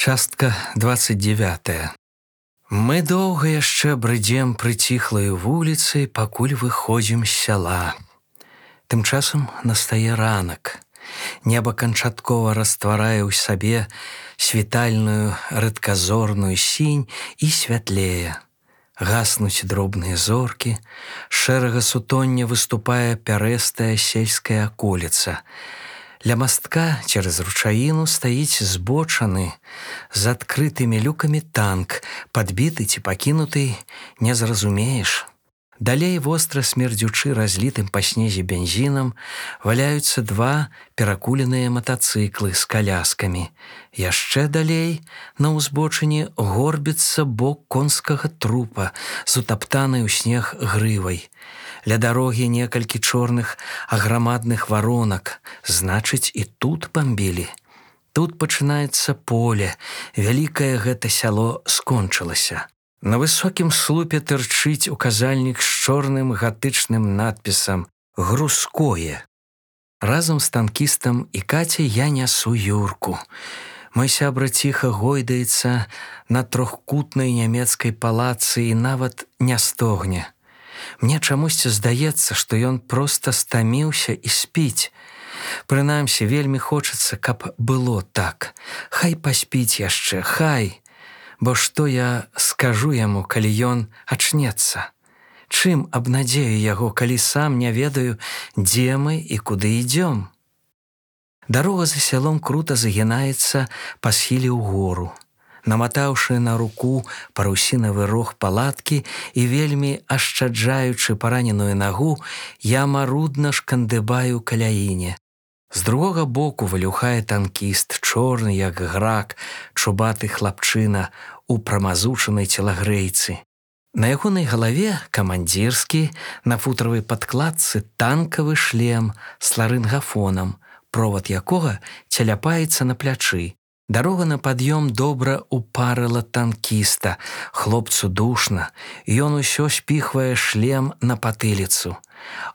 Частка 29. Мы доўга яшчэ брыдзем прыціхлаю вуліцай, пакуль выходзім з сяла. Тым часам настае ранак. Неба канчаткова растварае ў сабе світальную рэдказорную сінь і святлее. Гаснуць дробныя зоркі, з шэрага сутоння выступае пярэстая сельская аколіца. Ля мастка цераз ручаіну стаіць збочаны з адкрытымі люкамі танк, падбіты ці пакінуты, не зразумееш. Далей востра смердзючы разлітым па снезе бензінам валяюцца два перакуленыя матацыклы з каляскамі. Яшчэ далей на ўзбочыне горбіцца бок конскага трупа з утаптанай у снег грывай. Ля дарогі некалькі чорных аграмадных варонак, значыць, і тут бамбілі. Тут пачынаецца поле, вялікае гэта сяло скончылася. На высокім слупе тырчыць указальнік з чорным гатычным надпісам «Грузкое». Разам з танкістам і Кацяй я нясу Юрку. Мой сябра ціха гойдаецца на трохкутнай нямецкай палацы і нават не стогне. Мне чамусьці здаецца, што ён проста стаміўся і спіць. Прынамсі, вельмі хочацца, каб было так. Хай паспіць яшчэ, хай. Бо што я скажу яму, калі ён ачнецца? Чым абнадзею яго, калі сам не ведаю, дзе мы і куды ідзём? Дарога за сялом крута загінаецца па схіле ўгору. Наматаўшы на руку парусінавы рог палаткі і вельмі ашчаджаючы параненую нагу, я марудна шкандыбаю каляіне. З другога боку валюхае танкіст, чорны, як грак, чубаты хлапчына у прамазучанай целагрэйцы. На ягонай галаве камандзірскі, на футравай падкладцы танкавы шлем з ларынгафонам, провад якога цяляпаецца на плячы. Дарога на пад'ём добра упарыла танкіста, хлопцу душна, ён усё спіхвае шлем на патыліцу.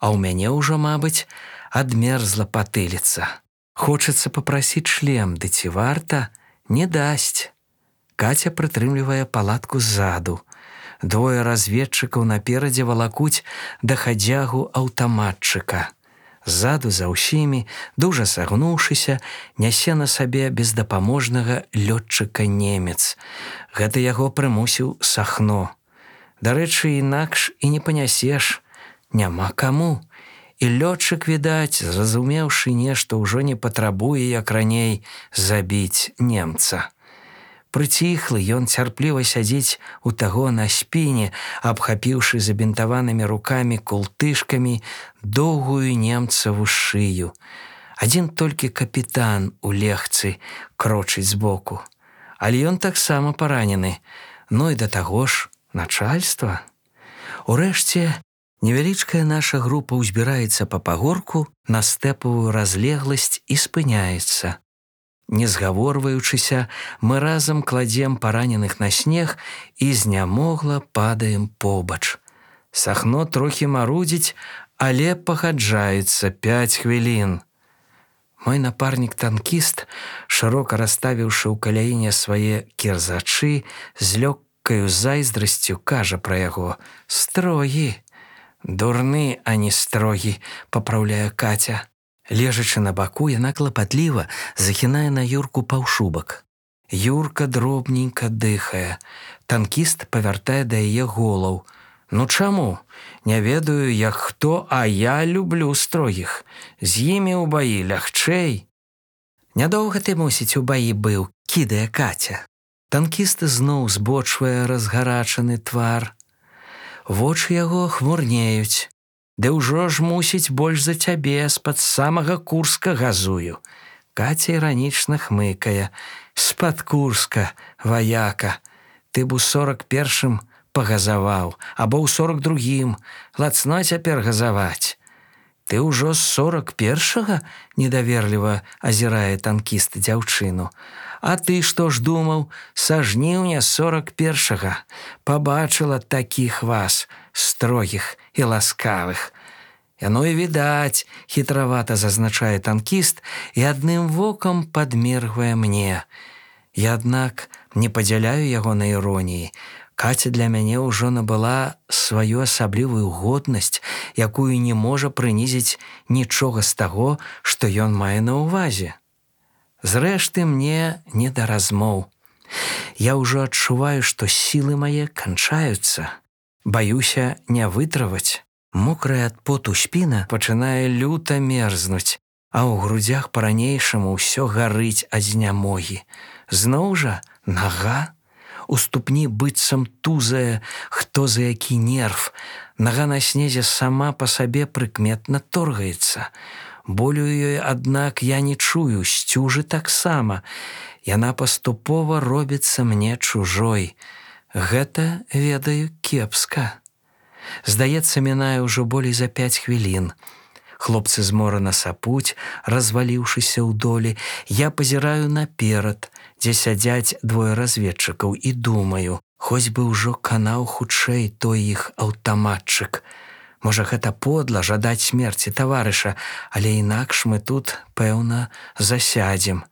А ў мяне ўжо, мабыць, адмерзла патыліца. Хочацца папрасіць шлем, ды ці варта? Не дасць. Каця прытрымлівае палатку ззаду. Двое разведчыкаў наперадзе валакуць дахадзягу аўтаматчыка. Ззаду за ўсімі, дужа сагнуўшыся, нясе на сабе бездапаможнага лётчыка немец. Гэта яго прымусіў Сахно. Дарэчы, інакш і не панясеш. Няма каму. І лётчык, відаць, зразумеўшы нешта, ўжо не патрабуе, як раней, забіць немца. Прыціхлы, ён цярпліва сядзіць у таго на спіне, абхапіўшы забінтаванымі рукамі култышкамі доўгую немцаву шыю. Адзін толькі капітан у легцы крочыць збоку. Але ён таксама паранены. Ну і да таго ж начальства. Урэшце, невялічкая наша група ўзбіраецца па пагорку на стэпавую разлегласць і спыняецца. Не згаворваючыся, мы разам кладзем параненых на снег і знямогла падаем побач. Сахно трохі марудзіць, але пагаджаецца 5 хвілін. Мой напарнік-танкіст, шырока расставіўшы ў каляіне свае кірзачы, з лёгкаю зайздрасцю кажа пра яго: «Строгі». «Дурны, а не строгі», папраўляе Каця. Лежачы на баку, яна клапатліва захінае на Юрку паўшубак. Юрка дробненька дыхае. Танкіст павяртае да яе голаў. «Ну чаму? Не ведаю, як хто, а я люблю строгіх. З імі ў баі лягчэй». «Нядоўга ты, мусіць, у баі быў», кідае Каця. Танкіст зноў збочвае разгарачаны твар. Вочы яго хмурнеюць. «Ды ўжо ж, мусіць, больш за цябе, з-пад самага Курска газую». Каця іранічна хмыкае. «З-пад Курска, ваяка. Ты б у 41-м пагазаваў, або ў 42-м. Лацно цяпер газаваць». «Ты ўжо з 41-га?» недаверліва азірае танкіст дзяўчыну. «А ты што ж думаў? Са жніўня 41-га. Пабачыла такіх вас, строгіх і ласкавых». «Яно і відаць», хітравата зазначае танкіст і адным вокам падмергвае мне. Я, аднак, не падзяляю ягонай іроніі. Каця для мяне ўжо набыла сваю асаблівую годнасць, якую не можа прынізіць нічога з таго, што ён мае на ўвазе. Зрэшты, мне не да размоў. Я ўжо адчуваю, што сілы мае канчаюцца. Баюся не вытрываць. Мокрая ад поту спіна пачынае люта мерзнуць, а ў грудзях па-ранейшаму ўсё гарыць ад знямогі. Зноў жа нага. У ступні быццам тузае хто за які нерв. Нага на снезе сама па сабе прыкметна торгаецца. Болю ёй, аднак, я не чую, сцюжы таксама. Яна паступова робіцца мне чужой. Гэта, ведаю, кепска. Здаецца, мінае ўжо болей за 5 хвілін. Хлопцы зморана сапуць, разваліўшыся ў долі. Я пазіраю наперад, дзе сядзяць двое разведчыкаў, і думаю, хоць бы ўжо канаў хутчэй той іх аўтаматчык. Можа, гэта подла жадаць смерці таварыша, але інакш мы тут, пэўна, засядзем.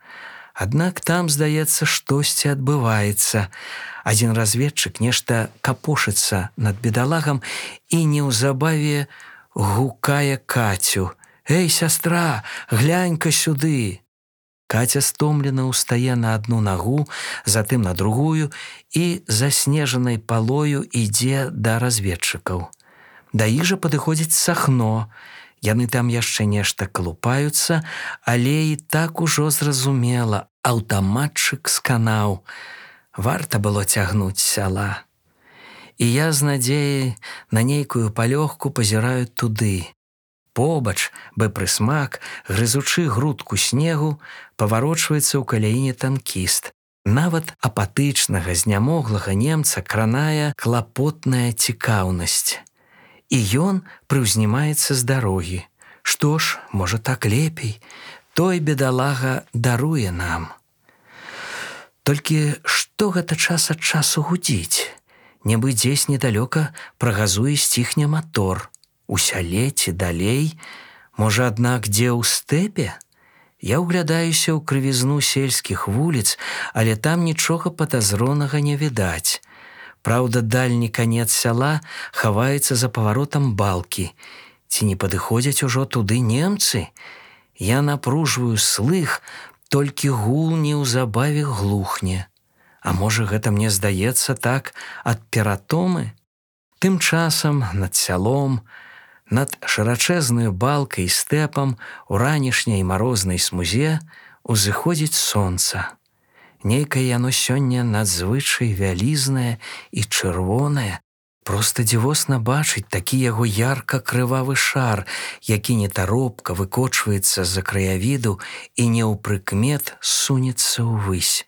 Аднак там, здаецца, штосьці адбываецца. Адзін разведчык нешта капошыцца над бедалагам і неўзабаве гукае Кацю: «Эй, сястра, глянь-ка сюды!» Каця стомлена ўстае на адну нагу, затым на другую і заснежанай палою ідзе да разведчыкаў. Да іх жа падыходзіць Сахно. Яны там яшчэ нешта калупаюцца, але і так ужо зразумела, аўтаматчык сканаў. Варта было цягнуць сяла. І я з надзеяй на нейкую палёгку пазіраю туды. Побач, бы прысмак, грызучы грудку снегу, паварочваецца ў каляіне танкіст. Нават апатычнага, знямоглага немца кранае клапотная цікаўнасць. І ён прыўзнімаецца з дарогі. Што ж, можа, так лепей. Той бедалага даруе нам. Толькі што гэта час ад часу гудзіць? Нібы дзесь недалёка прагазуе сціхне матор. У сяле ці далей? Можа, аднак, дзе ў стэпе? Я ўглядаюся ў крывізну сельскіх вуліц, але там нічога падазронага не відаць. Праўда, дальні канец сяла хаваецца за паваротам балкі. Ці не падыходзяць ужо туды немцы? Я напружваю слых, толькі гул неўзабаве глухне. А можа, гэта мне здаецца так ад ператомы? Тым часам над сялом, над шырачэзнаю балкай і стэпам у ранішняй марознай смузе узыходзіць сонца. Нейкае яно сёння надзвычай вялізнае і чырвонае. Проста дзівосна бачыць такі яго ярка-крывавы шар, які нетаропка выкочваецца з-за краявіду і неўпрыкмет сунецца ўвысь.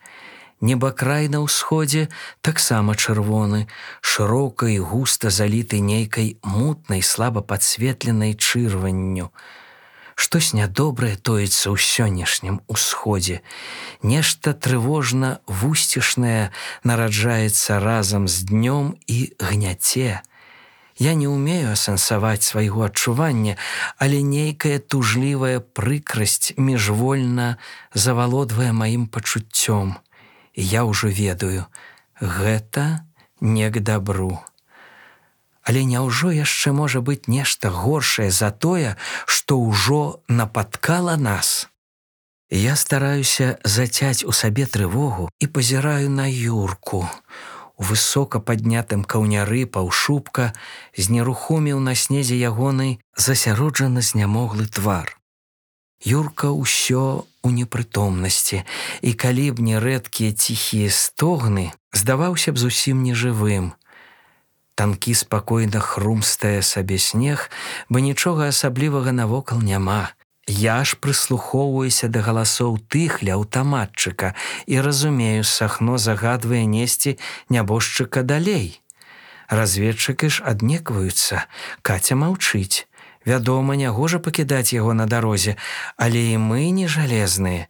Небакрай на ўсходзе таксама чырвоны, шырока і густа заліты нейкай мутнай, слаба падсветленай чырванню. Штось нядобрае тоіцца ў сённяшнім усходзе. Нешта трывожна вусцішнае нараджаецца разам з днём і гняце. Я не ўмею асэнсаваць свайго адчування, але нейкая тужлівая прыкрасць міжвольна завалодвае маім пачуццём. І я ўжо ведаю, гэта не к дабру. Але няўжо яшчэ можа быць нешта горшае за тое, што ўжо напаткала нас? Я стараюся зацяць у сабе трывогу і пазіраю на Юрку. У высока паднятым каўняры паўшубка знерухоміў на снезе ягоны засяроджаны знямоглы твар. Юрка ўсё у непрытомнасці, і калі б не рэдкія ціхія стогны, здаваўся б зусім нежывым. Танкі спакойна хрумстае сабе снег, бо нічога асаблівага навокал няма. Я ж прыслухоўваюся да галасоў тых ля аўтаматчыка і разумею, Сахно загадвае несці нябожчыка далей. Разведчыкі ж аднекваюцца, Каця маўчыць. Вядома, нягожа пакідаць яго на дарозе, але і мы не жалезныя.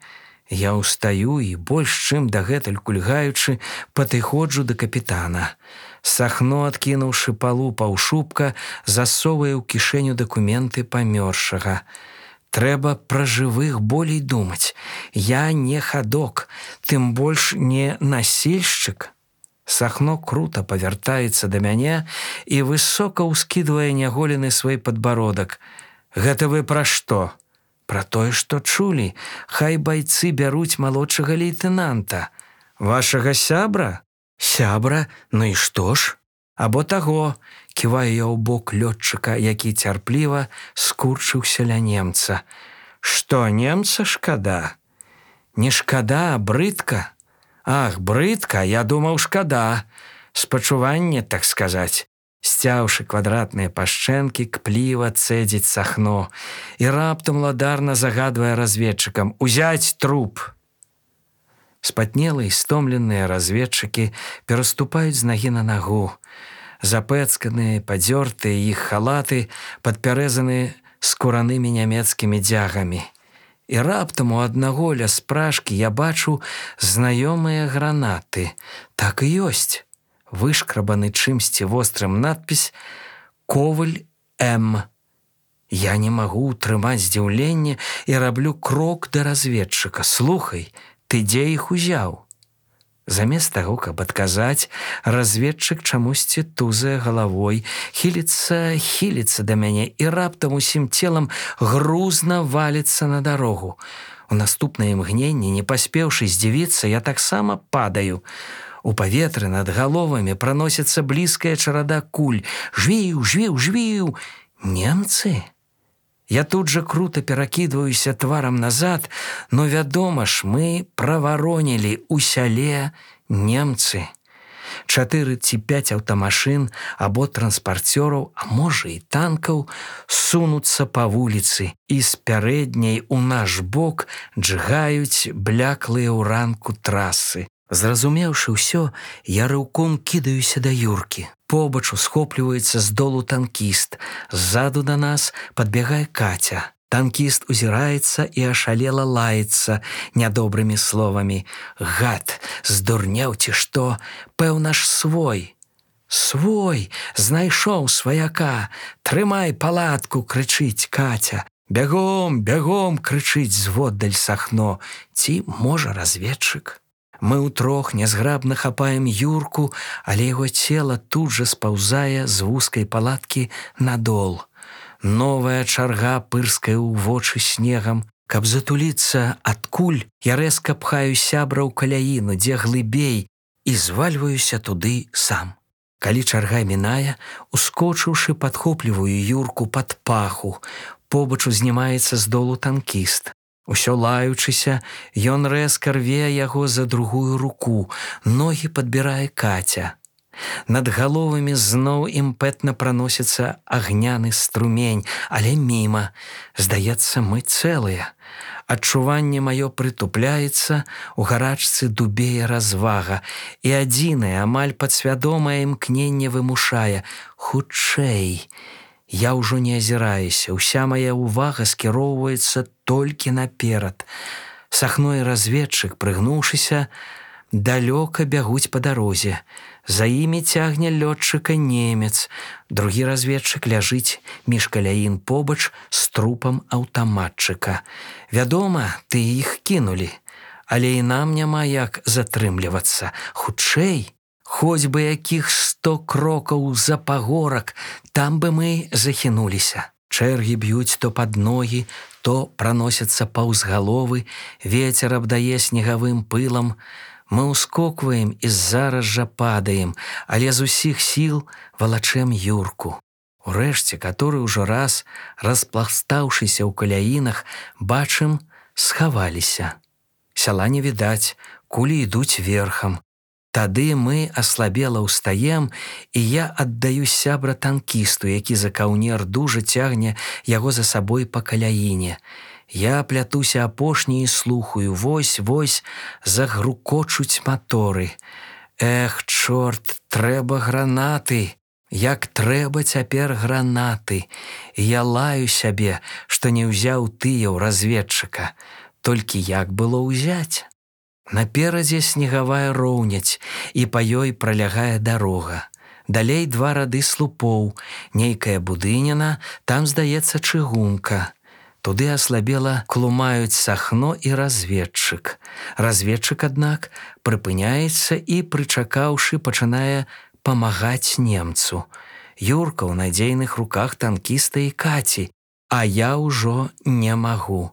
Я ўстаю і, больш чым дагэтуль кульгаючы, падыходжу да капітана. Сахно, адкінуўшы палу паўшубка, засоўвае ў кішэню дакументы памёршага. Трэба пра жывых болей думаць. Я не хадок, тым больш не насельшчык. Сахно крута павяртаецца да мяне і высока ўскідвае няголены свой падбародак. Гэта вы пра што? Пра тое, што чулі. Хай байцы бяруць малодшага лейтэнанта. Вашага сябра? Сябра? Ну і што ж? Або таго, ківаю я ў бок лётчыка, які цярпліва скурчыўся ля немца. Што, немца шкада? Не шкада, а брыдка. Ах, брыдка, я думаў, шкада. Спачуванне, так сказаць. Сцяўшы квадратныя пашчэнкі, кпліва цэдзіць Сахно і раптам ладарна загадвае разведчыкам: «Узяць труп!» Спатнелыя і стомленыя разведчыкі пераступаюць з нагі на нагу. Запэцканыя, падзёртыя іх халаты падпярэзаны скуранымі нямецкімі дзягамі. І раптам у аднаго ля спражкі я бачу знаёмыя гранаты. Так і ёсць. Вышкрабаны чымсьці вострым надпіс «Коваль М». Я не магу ўтрымаць здзіўленне і раблю крок да разведчыка. Слухай, ты дзе іх узяў? Замест таго, каб адказаць, разведчык чамусьці тузае галавой, хіліцца да мяне і раптам усім целам грузна валіцца на дарогу. У наступнае імгненне, не паспеўшы здзівіцца, я таксама падаю. У паветры над галовамі праносіцца блізкая чарада куль. Жвіў, жвіў, жвіў! Немцы? Я тут жа крута перакідваюся тварам назад, но, вядома ж, мы праваронілі ў сяле немцы. 4 ці 5 аўтамашын або транспарцёраў, а можа і танкаў, сунуцца па вуліцы і з пярэдняй у наш бок джгаюць бляклыя ў ранку трасы. Зразумеўшы ўсё, я рыўком кідаюся да Юркі. Побач усхопліваецца з долу танкіст. Ззаду да нас падбягае Каця. Танкіст узіраецца і ашалела лаецца нядобрымі словамі. Гад, здурнеў ці што? Пэўна ж свой. Свой, знайшоў сваяка. Трымай палатку, крычыць Каця. Бягом, бягом, крычыць зводдаль Сахно. Ці, можа, разведчык? Мы ўтрох нязграбна хапаем Юрку, але яго цела тут жа спаўзае з вузкай палаткі на дол. Новая чарга пырскае ў вочы снегам. Каб затуліцца ад куль, я рэзка пхаю сябра ў каляіну, дзе глыбей, і звальваюся туды сам. Калі чарга мінае, ускочыўшы, падхопліваю Юрку пад паху. Побач узнімаецца з долу танкіст. Усё лаючыся, ён рэзка рве яго за другую руку, ногі падбірае Каця. Над галовамі зноў імпэтна праносіцца агняны струмень, але міма. Здаецца, мы цэлыя. Адчуванне маё прытупляецца, у гарачцы дубее развага, і адзінае, амаль падсвядомае імкненне вымушае: хутчэй. Я ўжо не азіраюся, уся мая ўвага скіроўваецца толькі наперад. Сахно і разведчык, прыгнуўшыся, далёка бягуць па дарозе. За імі цягне лётчыка немец. Другі разведчык ляжыць між каляін побач з трупам аўтаматчыка. Вядома, ты іх кінулі, але і нам няма як затрымлівацца. Хутчэй, хоць бы якіх 100 крокаў за пагорак, там бы мы захінуліся. Чэргі б'юць то пад ногі, то праносяцца паўз галовы, вецер абдае снегавым пылам. Мы ўскокваем і зараз жа падаем, але з усіх сіл валачэм Юрку. Урэшце, каторы ўжо раз, распластаўшыся ў каляінах, бачым, схаваліся. Сяла не відаць, кулі ідуць верхам. Тады мы аслабела ўстаем, і я аддаю сябра танкісту, які за каўнер дужа цягне яго за сабой па каляіне. Я плятуся апошні і слухаю, вось-вось загрукочуць маторы. Эх, чорт, трэба гранаты! Як трэба цяпер гранаты! Я лаю сябе, што не ўзяў тыя ў разведчыка. Толькі як было ўзяць? Наперадзе снегавая роўняць, і па ёй пралягае дарога. Далей 2 рады слупоў, нейкая будыніна, там, здаецца, чыгунка. Туды аслабела клумаюць сахно і разведчык. Разведчык, аднак, прыпыняецца і, прычакаўшы, пачынае памагаць немцу. Юрка ў надзейных руках танкіста і Каці, а я ўжо не магу.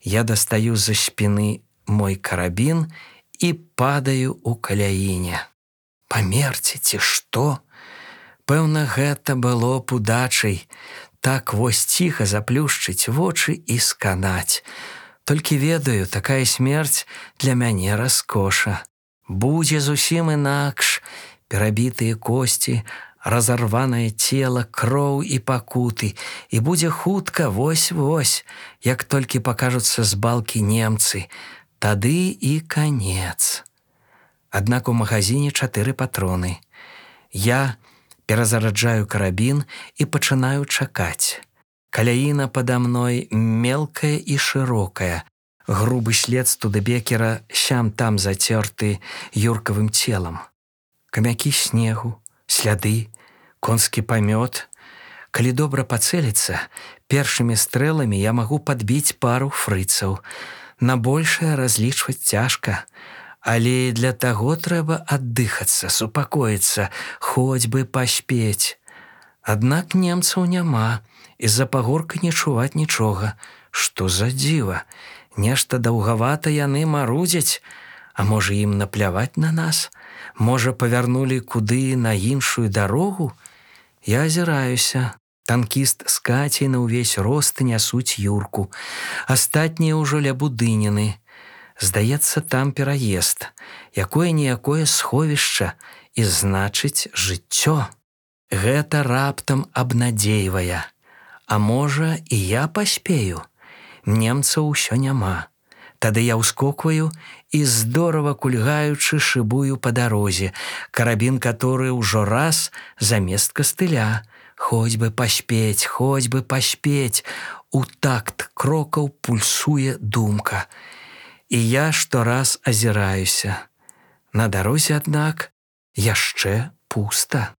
Я дастаю з-за спіны мой карабін і падаю ў каляіне. Памерці ці што? Пэўна, гэта было б удачай. Так вось ціха заплюшчыць вочы і сканаць. Толькі ведаю, такая смерць для мяне раскоша. Будзе зусім інакш. Перабітыя косці, разарванае цела, кроў і пакуты. І будзе хутка, вось-вось, як толькі пакажуцца з балкі немцы. Тады і канец. Аднак у магазине 4 патроны. Я перазараджаю карабін і пачынаю чакаць. Каляіна пада мной мелкая і шырокая. Грубы след студебекера сям-там зацёрты юркавым целам. Камякі снегу, сляды, конскі памёт. Калі добра пацэліцца, першымі стрэламі я магу падбіць пару фрыцаў. На большае разлічваць цяжка. Але для таго трэба аддыхацца, супакоіцца, хоць бы паспець. Аднак немцаў няма, і з-за пагорка не чуваць нічога. Што за дзіва? Нешта даўгавата яны марудзяць. А можа, ім напляваць на нас? Можа, павярнулі куды на іншую дарогу? Я азіраюся. Танкіст з Кацей на ўвесь рост нясуць Юрку. Астатнія ўжо ля будыніны. Здаецца, там пераезд, якое-ніякое сховішча, і значыць жыццё. Гэта раптам абнадзейвае. А можа, і я паспею? Немцаў усё няма. Тады я ўскокваю і, здорава кульгаючы, шыбую па дарозе, карабін, который ўжо раз замест кастыля. Хоць бы паспець, хоць бы паспець. У такт крокаў пульсуе думка. І я штораз азіраюся. На дарозе, аднак, яшчэ пуста.